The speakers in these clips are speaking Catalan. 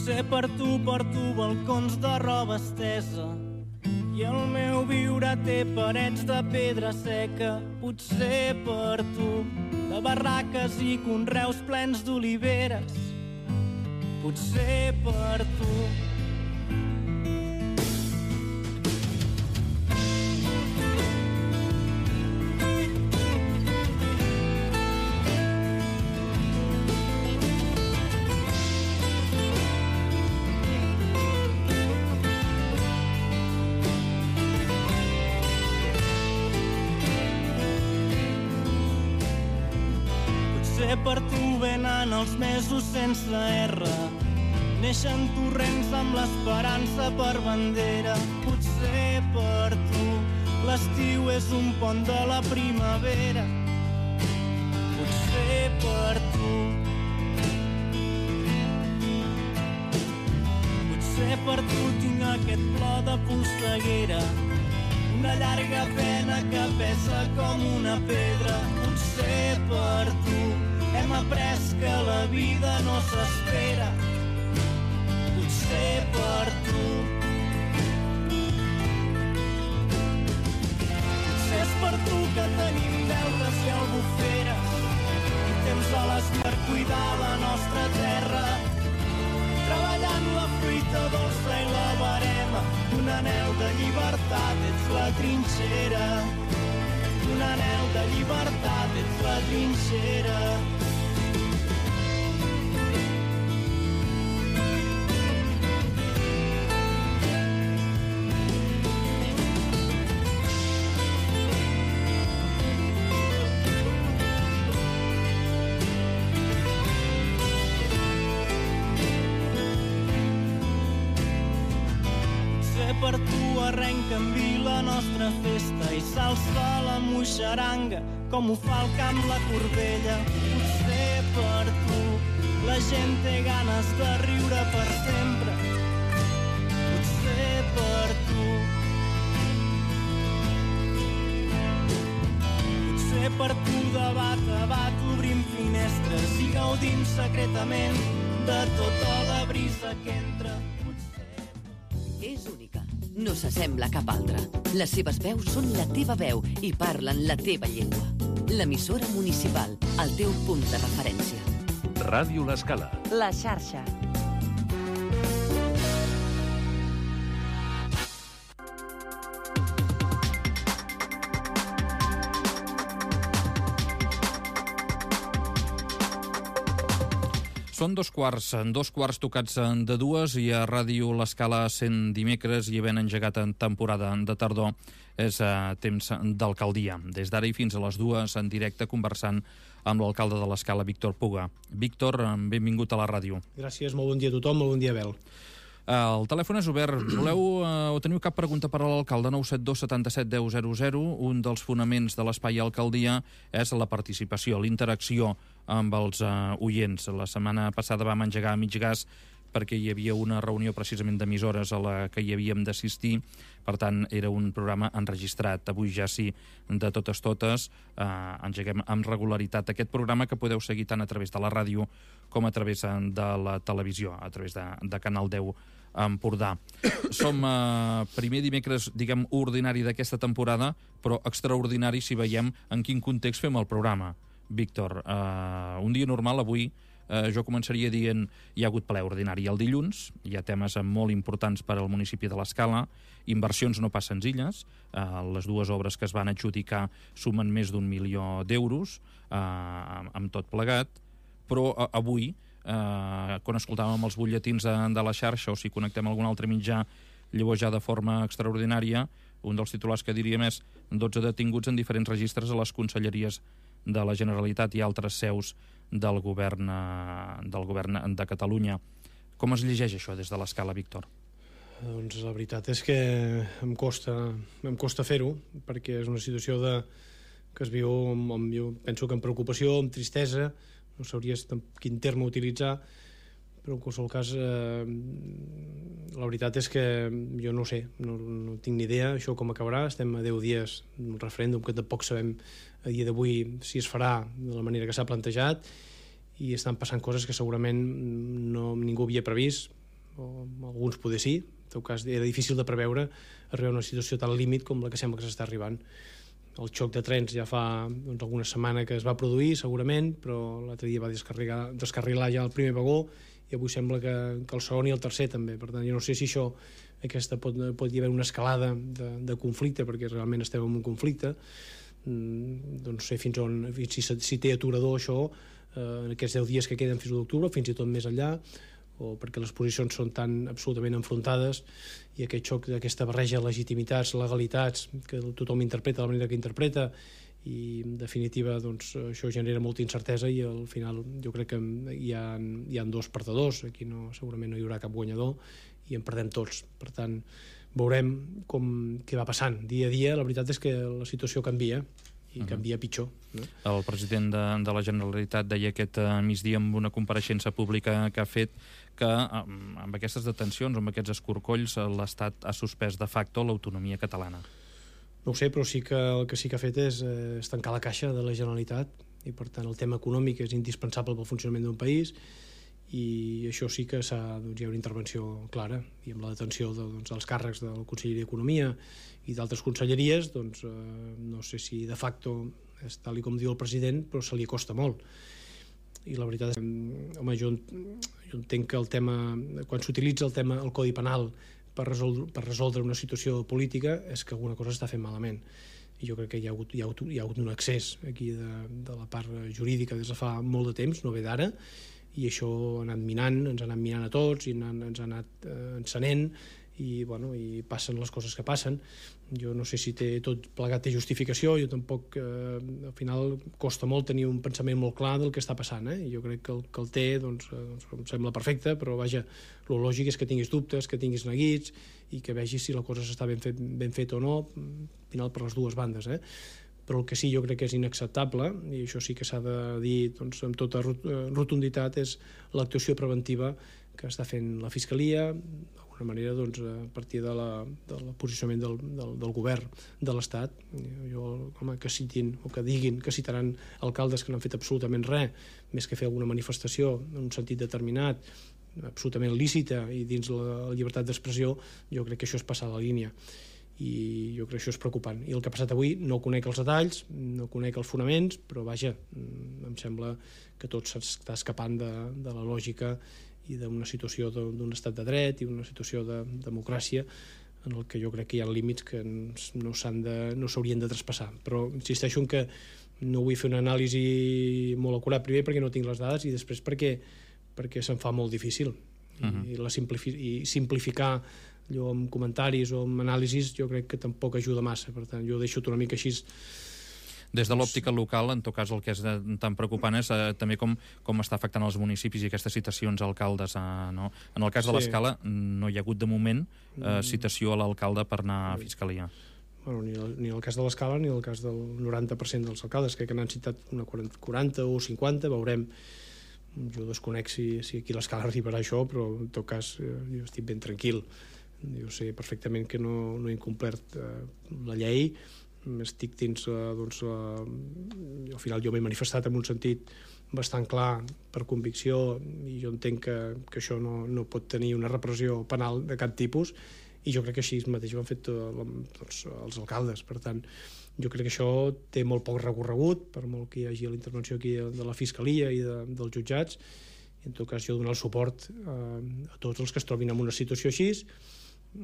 Potser per tu porto balcons de roba estesa i el meu viure té parets de pedra seca. Potser per tu de barraques i conreus plens d'oliveres. Potser per tu. Potser per tu venen els mesos sense R, neixen torrents amb l'esperança per bandera. Potser per tu l'estiu és un pont de la primavera. Potser per tu. Potser per tu tinc aquest plor de polseguera, una llarga pena que pesa com una pedra. Potser per tu hem après que la vida no s'espera. Potser per tu. Potser és per tu que tenim deutes i albuferes i temps a l'espar cuidar la nostra terra, treballant la fruita dolça i la verema d'un anhel de llibertat. Ets la trinxera d'un anhel de llibertat. Ets la trinxera. Per tu arrenca en vi la nostra festa i s'alça la moixaranga com ho fa el camp la Corbella. Potser per tu la gent té ganes de riure per sempre. Potser per tu. Potser per tu de bat a bat obrim finestres i gaudim secretament de tota la brisa que entra. És única. No s'assembla a cap altra. Les seves veus són la teva veu i parlen la teva llengua. L'emissora municipal, el teu punt de referència. Ràdio L'Escala. La xarxa. Són dos quarts tocats de dues i a Ràdio L'Escala sent dimecres i havent engegat en temporada de tardor és temps d'alcaldia. Des d'ara i fins a les dues en directe conversant amb l'alcalde de l'Escala, Víctor Puga. Víctor, benvingut a la ràdio. Gràcies, molt bon dia a tothom, molt bon dia, Abel. El telèfon és obert. Voleu o teniu cap pregunta per a l'alcalde? 972 77 10 00. Un dels fonaments de l'espai alcaldia és la participació, la interacció amb els oients. La setmana passada vam engegar a mig gas perquè hi havia una reunió precisament d'emissores a la que hi havíem d'assistir, per tant era un programa enregistrat. Avui ja sí, de totes, engeguem amb regularitat aquest programa que podeu seguir tant a través de la ràdio com a través de la televisió, a través de Canal 10 Empordà. Som primer dimecres, diguem, ordinari d'aquesta temporada, però extraordinari si veiem en quin context fem el programa. Víctor, un dia normal avui jo començaria dient hi ha hagut ple ordinari el dilluns, hi ha temes molt importants per al municipi de l'Escala, inversions no pas senzilles, les dues obres que es van adjudicar sumen més d'1 milió d'euros amb tot plegat, però avui quan escoltàvem els butlletins de la xarxa o si connectem a algun altre mitjà, llavors ja de forma extraordinària, un dels titulars que diríem és 12 detinguts en diferents registres a les conselleries de la Generalitat i altres seus del govern de Catalunya. Com es llegeix això des de l'Escala, Víctor? Doncs la veritat és que em costa fer-ho, perquè és una situació que es viu jo penso que amb preocupació, amb tristesa, no sabria quin terme utilitzar, però en qualsevol cas la veritat és que jo no sé, no tinc ni idea això com acabarà. Estem a 10 dies d'un referèndum que tampoc sabem a dia d'avui si es farà de la manera que s'ha plantejat, i estan passant coses que segurament ningú havia previst. o alguns poder sí. En tot cas, era difícil de preveure arribar a una situació tan límit com la que sembla que s'està arribant. El xoc de trens ja fa alguna setmana que es va produir, segurament, però l'altre dia va descarrilar ja el primer vagó i avui sembla que el segon i el tercer també. Per tant, jo no sé si això pot hi haver una escalada de conflicte, perquè realment estem en un conflicte. No sé fins on, si té aturador això en aquests 10 dies que queden fins a l'octubre, fins i tot més enllà, o perquè les posicions són tan absolutament enfrontades i aquest xoc d'aquesta barreja de legitimitats, legalitats, que tothom interpreta de la manera que interpreta, i en definitiva doncs, això genera molta incertesa i al final jo crec que hi ha dos perdedors, aquí segurament no hi haurà cap guanyador i en perdem tots. Per tant, veurem què va passant dia a dia. La veritat és que la situació canvia i canvia pitjor. No? El president de la Generalitat deia aquest migdia en una compareixença pública que ha fet que amb aquestes detencions, amb aquests escorcolls, l'Estat ha suspès de facto l'autonomia catalana. No ho sé, però el que sí que ha fet és tancar la caixa de la Generalitat i, per tant, el tema econòmic és indispensable pel funcionament d'un país i això sí que hi ha una intervenció clara i amb la detenció dels càrrecs del Conseller d'Economia i d'altres conselleries, doncs no sé si de facto és tal com diu el president, però se li acosta molt. I la veritat és que, home, jo entenc que el tema, quan s'utilitza el Codi Penal per resoldre una situació política, és que alguna cosa està fent malament. I jo crec que hi ha hagut un excés aquí de la part jurídica des de fa molt de temps, no ve d'ara, i això ens ha anat minant a tots i ens ha anat encenent i passen les coses que passen. Jo no sé si tot plegat té justificació, jo tampoc, al final costa molt tenir un pensament molt clar del que està passant, i jo crec que el té, doncs em sembla perfecte, però vaja, el lògic és que tinguis dubtes, que tinguis neguits i que vegis si la cosa s'està ben feta o no, al final per les dues bandes, però el que sí jo crec que és inacceptable, i això sí que s'ha de dir amb tota rotunditat, és l'actuació preventiva que està fent la Fiscalia, d'alguna manera a partir del posicionament del govern de l'Estat. Que citin o que diguin que citaran alcaldes que no han fet absolutament res, més que fer alguna manifestació en un sentit determinat, absolutament lícita i dins la llibertat d'expressió, jo crec que això és passar la línia. I jo crec que això és preocupant. I el que ha passat avui no conec els detalls, no conec els fonaments, però vaja, em sembla que tot s'està escapant de la lògica i d'una situació d'un estat de dret i una situació de democràcia en el que jo crec que hi ha límits que no s'haurien de traspassar. Però insisteixo en que no vull fer una anàlisi molt acurat, primer perquè no tinc les dades i després perquè se'm fa molt difícil. I simplificar allò amb comentaris o amb anàlisis jo crec que tampoc ajuda massa. Per tant, jo deixo una mica així. Des de l'òptica local, en tot cas, el que és tan preocupant és també com està afectant els municipis i aquestes citacions a alcaldes. No? En el cas de l'Escala no hi ha hagut de moment citació a l'alcalde per anar a Fiscalia. Bueno, ni en el cas de l'Escala ni en el cas del 90% dels alcaldes, crec que n'han citat una 40 o 50, veurem. Jo desconec si aquí a l'Escala arribarà això, però en tot cas jo estic ben tranquil. Jo sé perfectament que no he incomplert la llei, estic dins, al final jo m'he manifestat en un sentit bastant clar per convicció i jo entenc que això no pot tenir una repressió penal de cap tipus i jo crec que així mateix ho han fet els alcaldes. Per tant, jo crec que això té molt poc recorregut, per molt que hi hagi la intervenció aquí de la Fiscalia i dels jutjats. En tot cas, jo donar el suport a tots els que es trobin en una situació així,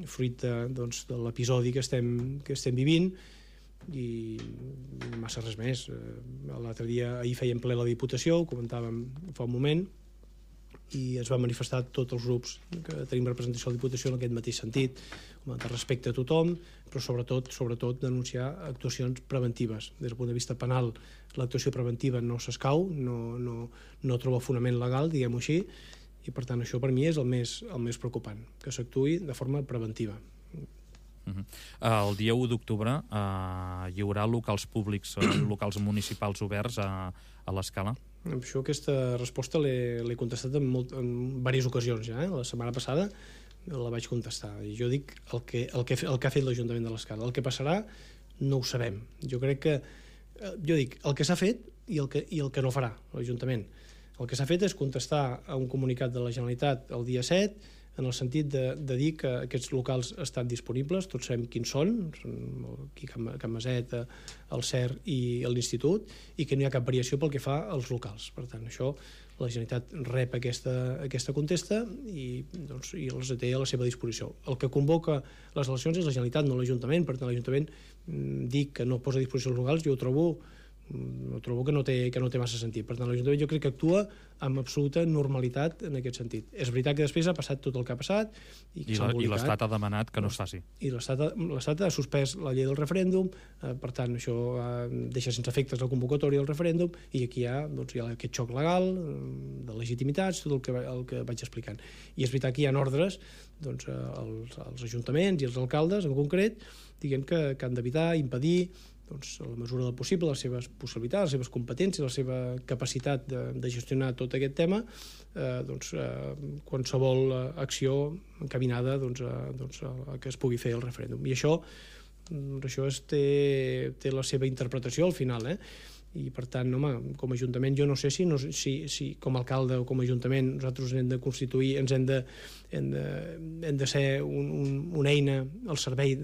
fruit de l'episodi que estem vivint, i massa res més. L'altre dia, ahir fèiem ple la Diputació, ho comentàvem fa un moment, i es van manifestar tots els grups que tenim representació a la Diputació en aquest mateix sentit, de respecte a tothom, però sobretot denunciar actuacions preventives. Des del punt de vista penal, l'actuació preventiva no s'escau, no troba fonament legal, diguem-ho així, i per tant això per mi és el més preocupant, que s'actuï de forma preventiva. El dia 1 d'octubre hi haurà locals públics, locals municipals oberts a l'Escala? Això, aquesta resposta l'he contestat en diverses ocasions ja. La setmana passada la vaig contestar. I jo dic el que ha fet l'Ajuntament de l'Escala. El que passarà no ho sabem. Jo crec que... Jo dic el que s'ha fet i el que no farà l'Ajuntament. El que s'ha fet és contestar a un comunicat de la Generalitat el dia 7 en el sentit de dir que aquests locals estan disponibles, tots sabem quins són aquí Can Maset, el CER i l'Institut, i que no hi ha cap variació pel que fa als locals. Per tant, això la Generalitat rep aquesta contesta i els té a la seva disposició. El que convoca les eleccions és la Generalitat, no l'Ajuntament. Per tant, l'Ajuntament dic que no posa a disposició els locals, jo ho trobo que no té massa sentit. Per tant, l'Ajuntament jo crec que actua amb absoluta normalitat en aquest sentit. És veritat que després ha passat tot el que ha passat i l'Estat ha demanat que no es faci. I l'Estat ha suspès la llei del referèndum, per tant, això deixa sense efectes la convocatòria del referèndum, i aquí hi ha aquest xoc legal de legitimitats, tot el que vaig explicant. I és veritat que hi ha ordres als ajuntaments i als alcaldes en concret dient que han d'evitar, impedir, a la mesura del possible, les seves possibilitats, les seves competències, la seva capacitat de gestionar tot aquest tema, qualsevol acció encaminada a que es pugui fer el referèndum. I això té la seva interpretació al final, i per tant, home, com a Ajuntament jo no sé si com a alcalde o com a Ajuntament nosaltres hem de constituir, hem de ser una eina al servei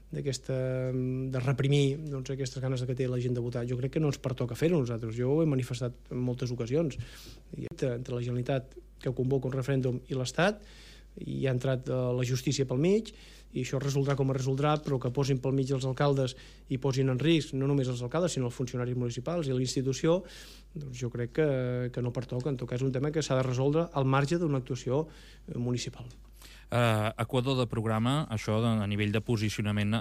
de reprimir aquestes ganes que té la gent de votar. Jo crec que no ens pertoca fer-ho nosaltres. Jo ho he manifestat en moltes ocasions. Entre la Generalitat, que convoca un referèndum, i l'Estat, i ha entrat la justícia pel mig, i això resoldrà com es resoldrà, però que posin pel mig els alcaldes i posin en risc no només els alcaldes, sinó els funcionaris municipals i la institució, jo crec que no pertoca. En tot cas, és un tema que s'ha de resoldre al marge d'una actuació municipal. Equador de programa, això a nivell de posicionament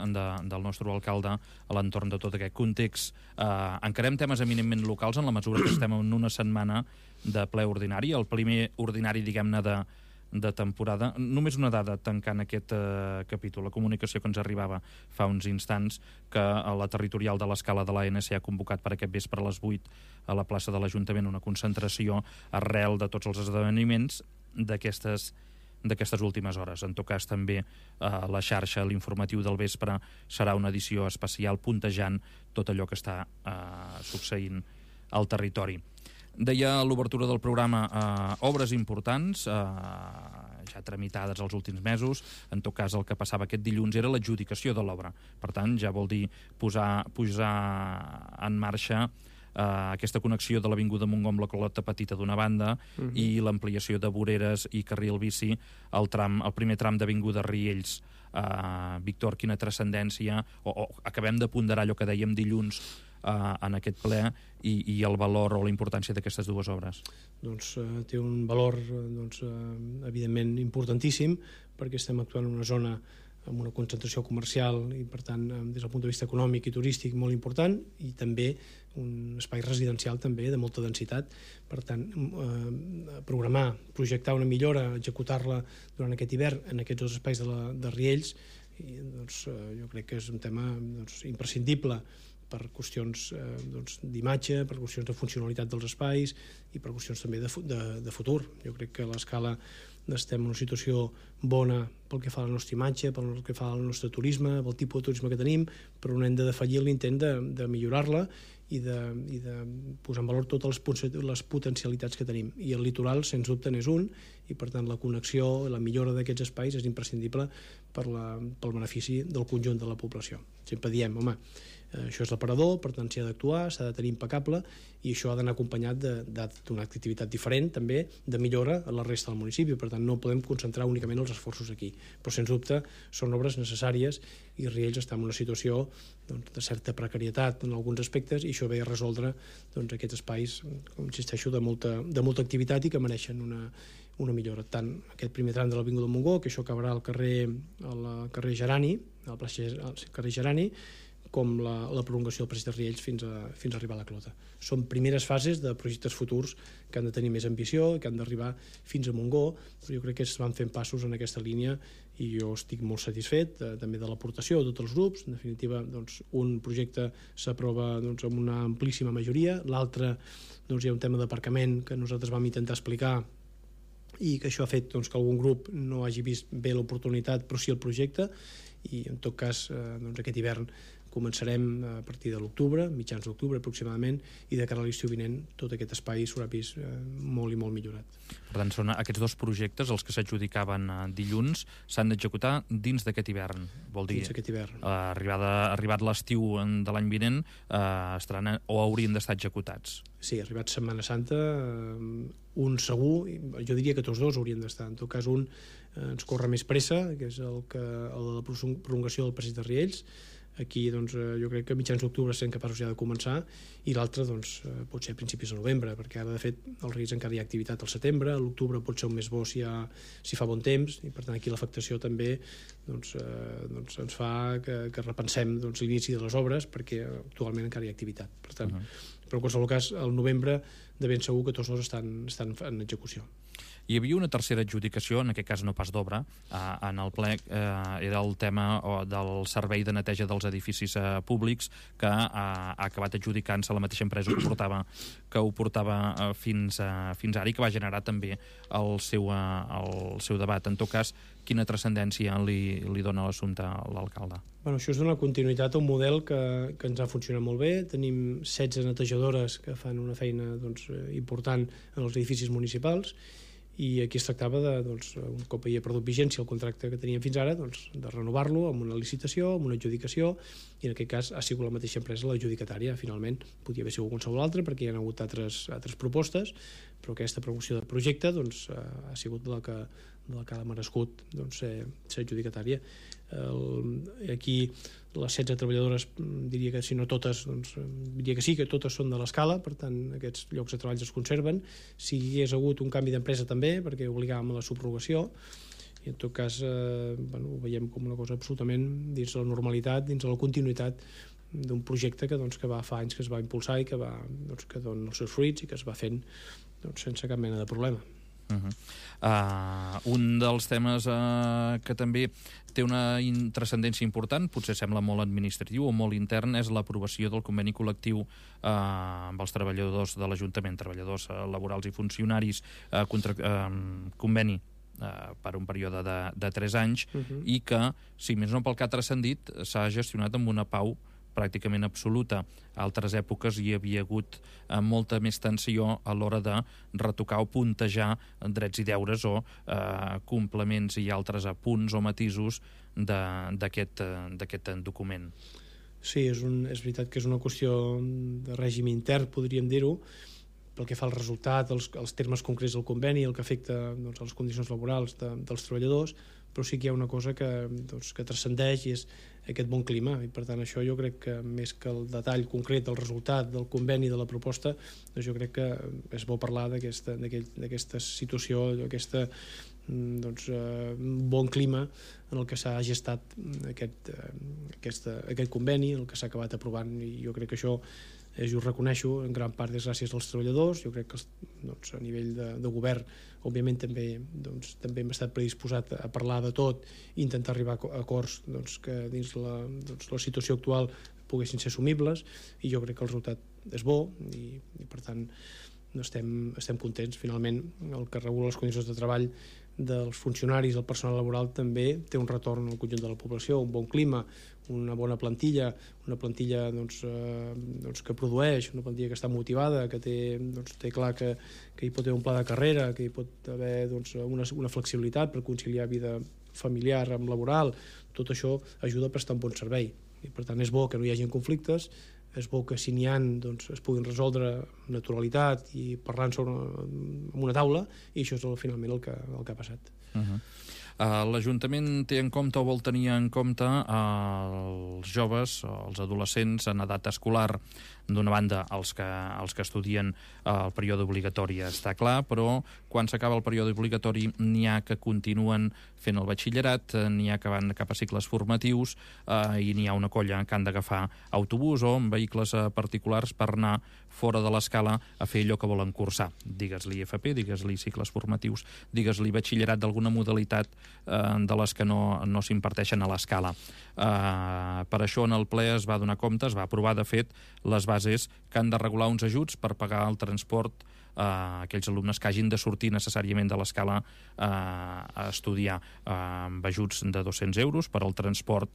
del nostre alcalde a l'entorn de tot aquest context. Encarem temes eminentment locals en la mesura que estem en una setmana de ple ordinari, el primer ordinari, diguem-ne, de temporada. Només una dada tancant aquest capítol, la comunicació que ens arribava fa uns instants, que a la territorial de l'Escala de l'ANC ha convocat per aquest vespre a les 8 a la plaça de l'Ajuntament una concentració arrel de tots els esdeveniments d'aquestes últimes hores. En tot cas, també la xarxa, l'informatiu del vespre, serà una edició especial puntejant tot allò que està succeint al territori. Deia l'obertura del programa obres importants, ja tramitades els últims mesos. En tot cas, el que passava aquest dilluns era l'adjudicació de l'obra. Per tant, ja vol dir posar en marxa aquesta connexió de l'Avinguda Montgó amb la Clota Petita d'una banda i l'ampliació de voreres i carril bici el primer tram d'Avinguda Riells. Víctor, quina transcendència, o acabem de ponderar allò que dèiem dilluns en aquest ple i el valor o la importància d'aquestes dues obres? Té un valor evidentment importantíssim, perquè estem actuant en una zona amb una concentració comercial i, per tant, des del punt de vista econòmic i turístic molt important, i també un espai residencial també de molta densitat. Per tant, projectar una millora, executar-la durant aquest hivern en aquests dos espais de Riells, jo crec que és un tema imprescindible per qüestions d'imatge, per qüestions de funcionalitat dels espais i per qüestions també de futur. Jo crec que a l'Escala estem en una situació bona pel que fa a la nostra imatge, pel que fa al nostre turisme, pel tipus de turisme que tenim, però no hem de defallir l'intent de millorar-la i de posar en valor totes les potencialitats que tenim. I el litoral, sens dubte, n'és un, i per tant la connexió, la millora d'aquests espais és imprescindible pel benefici del conjunt de la població. Sempre diem, home, això és l'aparador, per tant s'hi ha d'actuar, s'ha de tenir impecable, i això ha d'anar acompanyat d'una activitat diferent, també, de millora a la resta del municipi. Per tant, no podem concentrar únicament els esforços aquí. Però, sens dubte, són obres necessàries i Riells està en una situació de certa precarietat en alguns aspectes, i això ve a resoldre aquests espais, com insisteixo, de molta activitat i que mereixen una millora. Tant aquest primer tram de l'Avinguda Montgó, que això acabarà al carrer Gerani, al carrer Gerani, com la prolongació del passeig de Riells fins a arribar a la Clota. Són primeres fases de projectes futurs que han de tenir més ambició i que han d'arribar fins a Montgó, però jo crec que es van fent passos en aquesta línia i jo estic molt satisfet també de l'aportació de tots els grups. En definitiva, un projecte s'aprova amb una amplíssima majoria, l'altre hi ha un tema d'aparcament que nosaltres vam intentar explicar i que això ha fet que algun grup no hagi vist bé l'oportunitat però sí el projecte, i en tot cas aquest hivern començarem a partir de l'octubre, mitjans d'octubre aproximadament, i de cara a l'estiu vinent tot aquest espai s'haurà vist molt i molt millorat. Per tant, són aquests dos projectes, els que s'adjudicaven dilluns, s'han d'executar dins d'aquest hivern. Vol dir, dins d'aquest hivern. Arribat l'estiu de l'any vinent, estaran o haurien d'estar executats. Sí, arribat Setmana Santa, un segur, jo diria que tots dos haurien d'estar. En tot cas, un ens corre més pressa, que és el de la prolongació del passeig de Riells. Aquí doncs, jo crec que a mitjans d'octubre serem capaços ja de començar, i l'altre doncs, pot ser a principis de novembre, perquè ara de fet al Riells encara hi ha activitat al setembre, a l'octubre pot ser un més bo si fa bon temps, i per tant aquí l'afectació també doncs, ens fa que repensem l'inici de les obres, perquè actualment encara hi ha activitat. Per tant, però en qualsevol cas, al novembre de ben segur que tots dos estan en execució. Hi havia una tercera adjudicació, en aquest cas no pas d'obra, en el ple, era el tema del servei de neteja dels edificis públics, que ha acabat adjudicant-se la mateixa empresa que ho portava fins ara, i que va generar també el seu debat. En tot cas, quina transcendència li dona l'assumpte a l'alcalde? Bueno, això és donar continuïtat a un model que ens ha funcionat molt bé. Tenim 16 netejadores que fan una feina important en els edificis municipals, i aquí es tractava un cop hi ha perdut vigència el contracte que teníem fins ara, de renovar-lo amb una licitació, amb una adjudicació, i en aquest cas ha sigut la mateixa empresa l'adjudicatària. Finalment podia haver sigut qualsevol altra perquè hi ha hagut altres propostes, però aquesta promoció del projecte ha sigut la que ha merescut ser adjudicatària. Aquí les 16 treballadores, diria que si no totes, diria que sí, que totes són de l'Escala, per tant aquests llocs de treball es conserven. Si hi hagués hagut un canvi d'empresa també, perquè obligàvem a la subrogació, i en tot cas ho veiem com una cosa absolutament dins de la normalitat, dins de la continuïtat d'un projecte que fa anys que es va impulsar i que dona els seus fruits i que es va fent sense cap mena de problema. Un dels temes que també té una transcendència important, potser sembla molt administratiu o molt intern, és l'aprovació del conveni col·lectiu amb els treballadors de l'Ajuntament, treballadors laborals i funcionaris, conveni per un període de 3 anys, i que, si més no pel que ha transcendit, s'ha gestionat amb una pau pràcticament absoluta. A altres èpoques hi havia hagut molta més tensió a l'hora de retocar o puntejar drets i deures o complements i altres apunts o matisos d'aquest document. Sí, és veritat que és una qüestió de règim intern, podríem dir-ho, pel que fa al resultat, els termes concrets del conveni, el que afecta les condicions laborals dels treballadors, però sí que hi ha una cosa que transcendeix, i és aquest bon clima, i per tant això jo crec que més que el detall concret del resultat del conveni de la proposta, jo crec que és bo parlar d'aquesta situació, d'aquest bon clima en el que s'ha gestat aquest conveni, en el que s'ha acabat aprovant, i jo crec que això jo ho reconeixo, en gran part és gràcies als treballadors. Jo crec que a nivell de govern, òbviament també hem estat predisposat a parlar de tot i intentar arribar a acords que dins la situació actual poguessin ser assumibles, i jo crec que el resultat és bo, i per tant estem contents. Finalment, el que regula les condicions de treball dels funcionaris, el personal laboral, també té un retorn al conjunt de la població, un bon clima, una bona plantilla, una plantilla que produeix, una plantilla que està motivada, que té clar que hi pot haver un pla de carrera, que hi pot haver una flexibilitat per conciliar vida familiar amb laboral. Tot això ajuda a prestar un bon servei, i per tant és bo que no hi hagi conflictes, és bo que si n'hi ha es puguin resoldre amb naturalitat i parlant amb una taula, i això és finalment el que ha passat. L'Ajuntament té en compte o vol tenir en compte els joves, els adolescents en edat escolar. D'una banda, els que estudien el període obligatori està clar, però quan s'acaba el període obligatori n'hi ha que continuen fent el batxillerat, n'hi ha que van cap a cicles formatius, i n'hi ha una colla que han d'agafar autobús o vehicles particulars per anar fora de l'escala a fer allò que volen cursar. Digues-li FP, digues-li cicles formatius, digues-li batxillerat d'alguna modalitat de les que no s'imparteixen a l'escala. Per això en el ple es va donar compte, es va aprovar, de fet, les bases que han de regular uns ajuts per pagar el transport a aquells alumnes que hagin de sortir necessàriament de l'escala a estudiar, amb ajuts de 200 euros per al transport,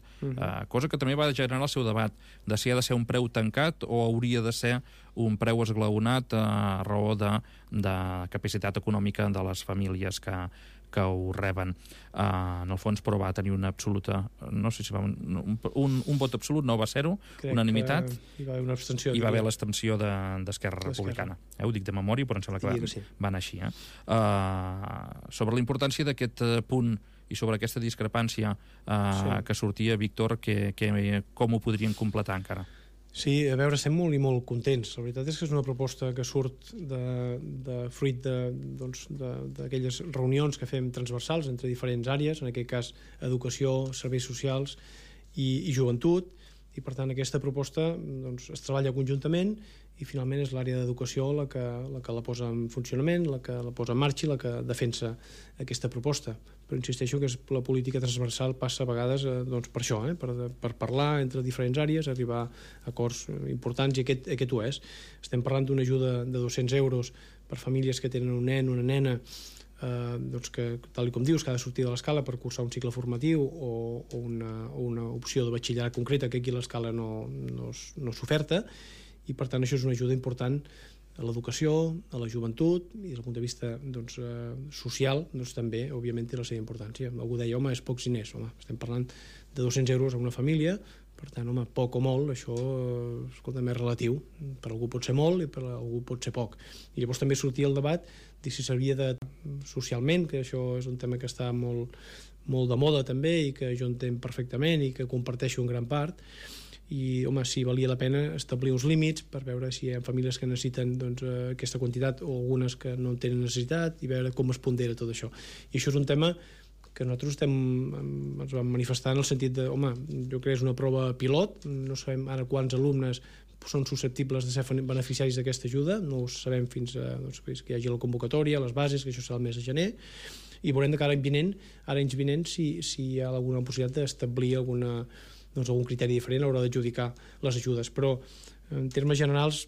cosa que també va generar el seu debat de si ha de ser un preu tancat o hauria de ser un preu esglaonat a raó de capacitat econòmica de les famílies que ho reben. En el fons, però va tenir una absoluta... No sé si va un vot absolut, no va ser-ho, unanimitat. Hi va haver una abstenció. Hi va haver l'abstenció d'Esquerra Republicana. Ho dic de memòria, però em sembla que va anar així. Sobre la importància d'aquest punt i sobre aquesta discrepància que sortia, Víctor, com ho podrien completar encara? Sí, a veure, estem molt i molt contents. La veritat és que és una proposta que surt fruit d'aquelles reunions que fem transversals entre diferents àrees, en aquest cas educació, serveis socials i joventut, i per tant aquesta proposta es treballa conjuntament i finalment és l'àrea d'educació la que la posa en funcionament, la que la posa en marxa i la que defensa aquesta proposta. Però insisteixo que la política transversal passa a vegades per això, per parlar entre diferents àrees, arribar a acords importants, i aquest ho és. Estem parlant d'una ajuda de 200 euros per famílies que tenen un nen o una nena que, tal com dius, que ha de sortir de l'escala per cursar un cicle formatiu o una opció de batxillerat concreta, que aquí l'escala no s'oferta, i per tant això és una ajuda important a l'educació, a la joventut, i des del punt de vista social també, òbviament, té la seva importància. Algú deia, home, és pocs diners. Home, estem parlant de 200 euros a una família, per tant, home, poc o molt, això escolta, és relatiu. Per algú pot ser molt i per algú pot ser poc. I llavors també sortia el debat de si servia socialment, que això és un tema que està molt de moda també i que jo entenc perfectament i que comparteixo en gran part, i, home, si valia la pena establir uns límits per veure si hi ha famílies que necessiten aquesta quantitat o algunes que no tenen necessitat, i veure com es pondera tot això. I això és un tema que nosaltres ens vam manifestar en el sentit de, home, jo crec que és una prova pilot, no sabem ara quants alumnes són susceptibles de ser beneficiaris d'aquesta ajuda, no ho sabem fins que hi hagi la convocatòria, les bases, que això serà el mes de gener, i veurem de cara a l'any vinent si hi ha alguna possibilitat d'establir algun criteri diferent a l'hora d'adjudicar les ajudes. Però en termes generals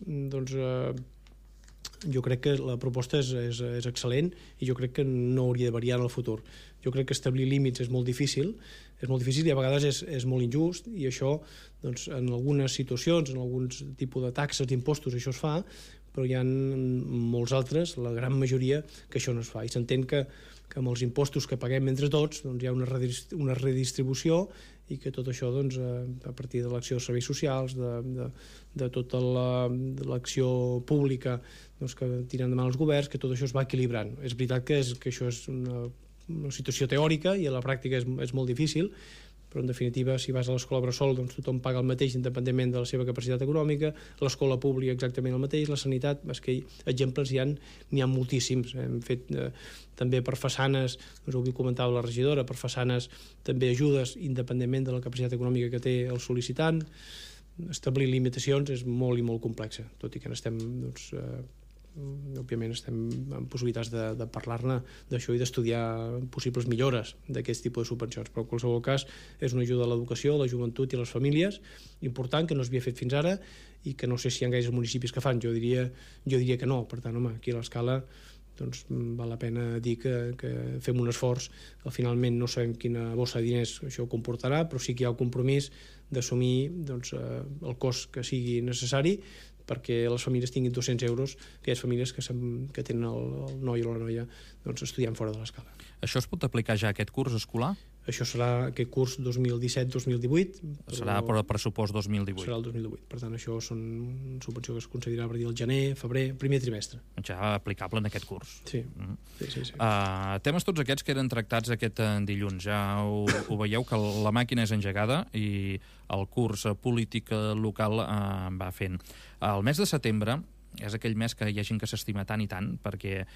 jo crec que la proposta és excel·lent i jo crec que no hauria de variar en el futur. Jo crec que establir límits és molt difícil i a vegades és molt injust, i això en algunes situacions, en alguns tipus de taxes, d'impostos, això es fa, però hi ha molts altres, la gran majoria, que això no es fa. I s'entén que amb els impostos que paguem entre tots hi ha una redistribució, i que tot això a partir de l'acció de serveis socials, de tota l'acció pública que tiren endavant els governs, que tot això es va equilibrant. És veritat que això és una situació teòrica i a la pràctica és molt difícil, però en definitiva, si vas a l'escola bressol, tothom paga el mateix independentment de la seva capacitat econòmica, l'escola pública exactament el mateix, la sanitat, és que exemples n'hi ha moltíssims. Hem fet també per façanes, ho comentava la regidora, per façanes també ajudes independentment de la capacitat econòmica que té el sol·licitant. Establir limitacions és molt i molt complexa, tot i que n'estem òbviament estem en possibilitats de parlar-ne d'això i d'estudiar possibles millores d'aquest tipus de subvencions, però en qualsevol cas és una ajuda a l'educació, a la joventut i a les famílies important, que no s'havia fet fins ara i que no sé si hi ha gaires municipis que fan. Jo diria que no. Per tant, home, aquí a l'escala val la pena dir que fem un esforç. Finalment no sabem quina bossa de diners això comportarà, però sí que hi ha el compromís d'assumir el cost que sigui necessari perquè les famílies tinguin 200 euros, aquelles famílies que tenen el noi o la noia estudiant fora de l'escala. Això es pot aplicar ja aquest curs escolar? Això serà aquest curs 2017-2018. Serà per al pressupost 2018. Serà el 2018. Per tant, això són una subvenció que es concedirà a partir del gener, febrer, primer trimestre. Ja aplicable en aquest curs. Sí. Sí. Temes tots aquests que eren tractats aquest dilluns. Ja ho veieu, que la màquina és engegada i el curs polític local va fent. El mes de setembre és aquell mes que hi ha gent que s'estima tant i tant, perquè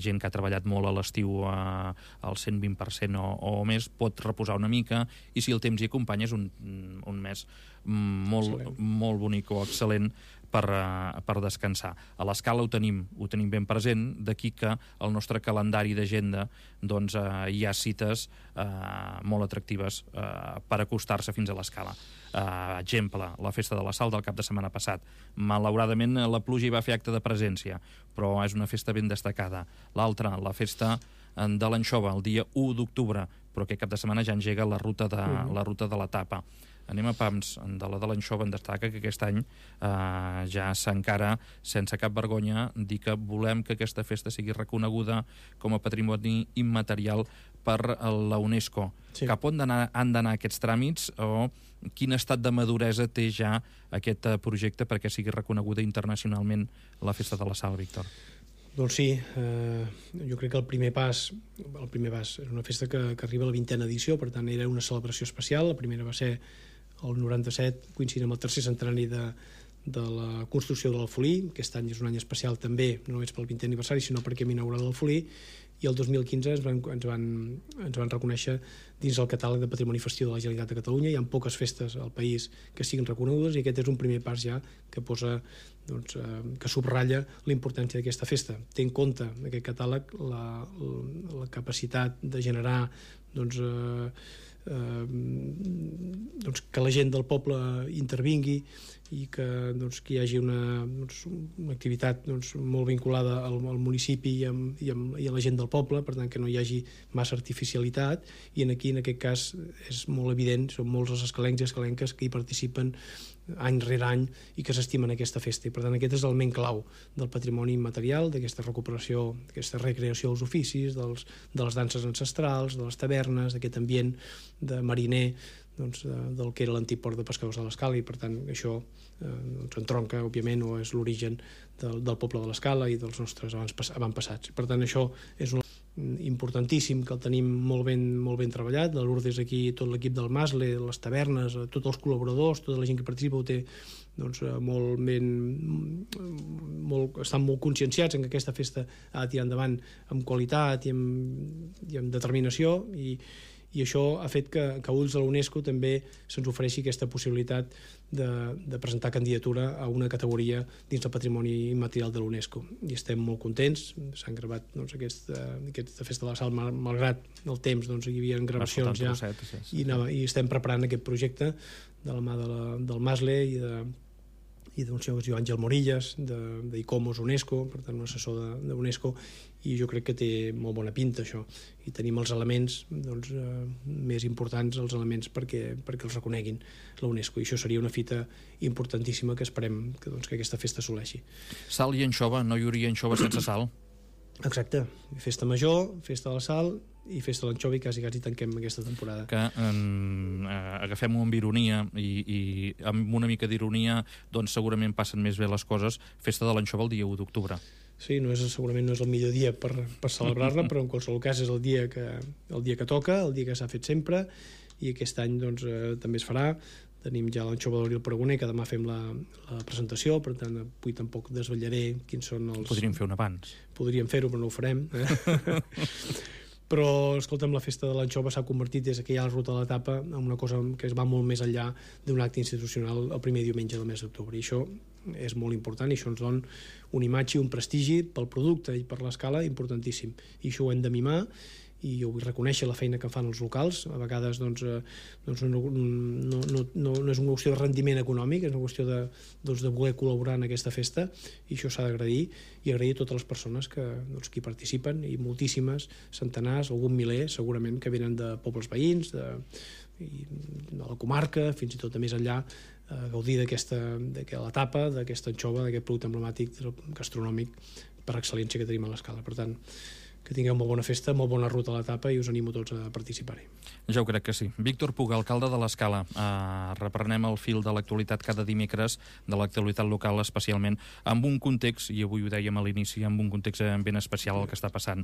gent que ha treballat molt a l'estiu al 120% o més pot reposar una mica, i si el temps hi acompanya és un mes molt bonic o excel·lent per descansar. A l'Escala ho tenim ben present, d'aquí que al nostre calendari d'agenda doncs, hi ha cites molt atractives per acostar-se fins a l'Escala. Exemple, la Festa de la Sal del cap de setmana passat. Malauradament la pluja hi va fer acte de presència, però és una festa ben destacada. L'altra, la Festa de l'Anxova, el dia 1 d'octubre, però aquest cap de setmana ja engega la ruta de la tapa. Anem a pams, de la de l'Anxova en destaca que aquest any ja s'encara, sense cap vergonya, dir que volem que aquesta festa sigui reconeguda com a patrimoni immaterial per la UNESCO. Sí. Cap on han d'anar aquests tràmits o quin estat de maduresa té ja aquest projecte perquè sigui reconeguda internacionalment la Festa de la Sal, Víctor? Doncs sí, jo crec que el primer pas és una festa que arriba a la 20a edició, per tant era una celebració especial. La primera va ser el 97, coincidint amb el tercer centenari de la construcció de l'Alfolí. Aquest any és un any especial també, no només pel 20è aniversari, sinó perquè hem inaugurat l'Alfolí, i el 2015 ens van reconèixer dins el catàleg de Patrimoni Festiu de la Generalitat de Catalunya. Hi ha poques festes al país que siguin reconegudes i aquest és un primer pas ja que posa, doncs, que subratlla la importància d'aquesta festa. Té en compte aquest catàleg la capacitat de generar doncs, que la gent del poble intervingui i que hi hagi una activitat molt vinculada al municipi i a la gent del poble, per tant que no hi hagi massa artificialitat, i aquí en aquest cas és molt evident, són molts els escalencs i escalenques que hi participen any rere any i que s'estimen aquesta festa, i per tant aquest és l'element clau del patrimoni immaterial, d'aquesta recuperació, d'aquesta recreació dels oficis, de les danses ancestrals, de les tavernes, d'aquest ambient de mariner, del que era l'antic port de pescadors de l'Escala, i per tant això entronca, òbviament, o és l'origen del poble de l'Escala i dels nostres avantpassats. Per tant, això és importantíssim, que el tenim molt ben treballat. De Lourdes aquí, tot l'equip del Masle, les tavernes, tots els col·laboradors, tota la gent que participa ho té estan molt conscienciats en que aquesta festa ha de tirar endavant amb qualitat i amb determinació, i això ha fet que a ulls de l'UNESCO també se'ns ofereixi aquesta possibilitat de presentar candidatura a una categoria dins del patrimoni immaterial de l'UNESCO. I estem molt contents. S'han gravat aquesta Festa de la Sal, malgrat el temps, hi havia gravacions ja, i estem preparant aquest projecte de la mà del Masle i d'un senyor que es diu Àngel Morillas, d'ICOMOS UNESCO, per tant un assessor de UNESCO, i jo crec que té molt bona pinta això, i tenim els elements més importants, els elements perquè els reconeguin la UNESCO, i això seria una fita importantíssima que esperem que aquesta festa assoleixi. Sal i anxova, no hi hauria anxova sense sal? Exacte, festa major, festa de la sal i festa de l'anxova, i quasi tanquem aquesta temporada. Que agafem-ho amb ironia, i amb una mica d'ironia doncs segurament passen més bé les coses. Festa de l'anxova el dia 1 d'octubre. Sí, segurament no és el millor dia per celebrar-la, però en qualsevol cas és el dia que toca, el dia que s'ha fet sempre, i aquest any també es farà. Tenim ja l'anxova d'Abril Paragoner, que demà fem la presentació, per tant avui tampoc desvetllaré quins són els... Podríem fer un abans. Podríem fer-ho, però no ho farem. Però, escolta'm, la festa de l'anxova s'ha convertit des que hi ha la ruta de la tapa en una cosa que es va molt més enllà d'un acte institucional el primer diumenge del mes d'octubre, i això és molt important, i això ens dona una imatge i un prestigi pel producte i per l'Escala importantíssim, i això ho hem de mimar, i jo vull reconèixer la feina que fan els locals. A vegades no és una qüestió de rendiment econòmic, és una qüestió de voler col·laborar en aquesta festa, i això s'ha d'agrair, i agrair a totes les persones que hi participen, i moltíssimes, centenars, algun miler segurament, que venen de pobles veïns, de la comarca, fins i tot de més enllà, a gaudir de la tapa, d'aquesta anxova, d'aquest producte emblemàtic gastronòmic per excel·lència que tenim a l'Escala. Per tant, que tingueu molt bona festa, molt bona ruta a la tapa, i us animo tots a participar-hi. Ja ho crec que sí. Víctor Puga, alcalde de l'Escala. Reprenem el fil de l'actualitat cada dimecres, de l'actualitat local especialment, amb un context, i avui ho dèiem a l'inici, amb un context ben especial el que està passant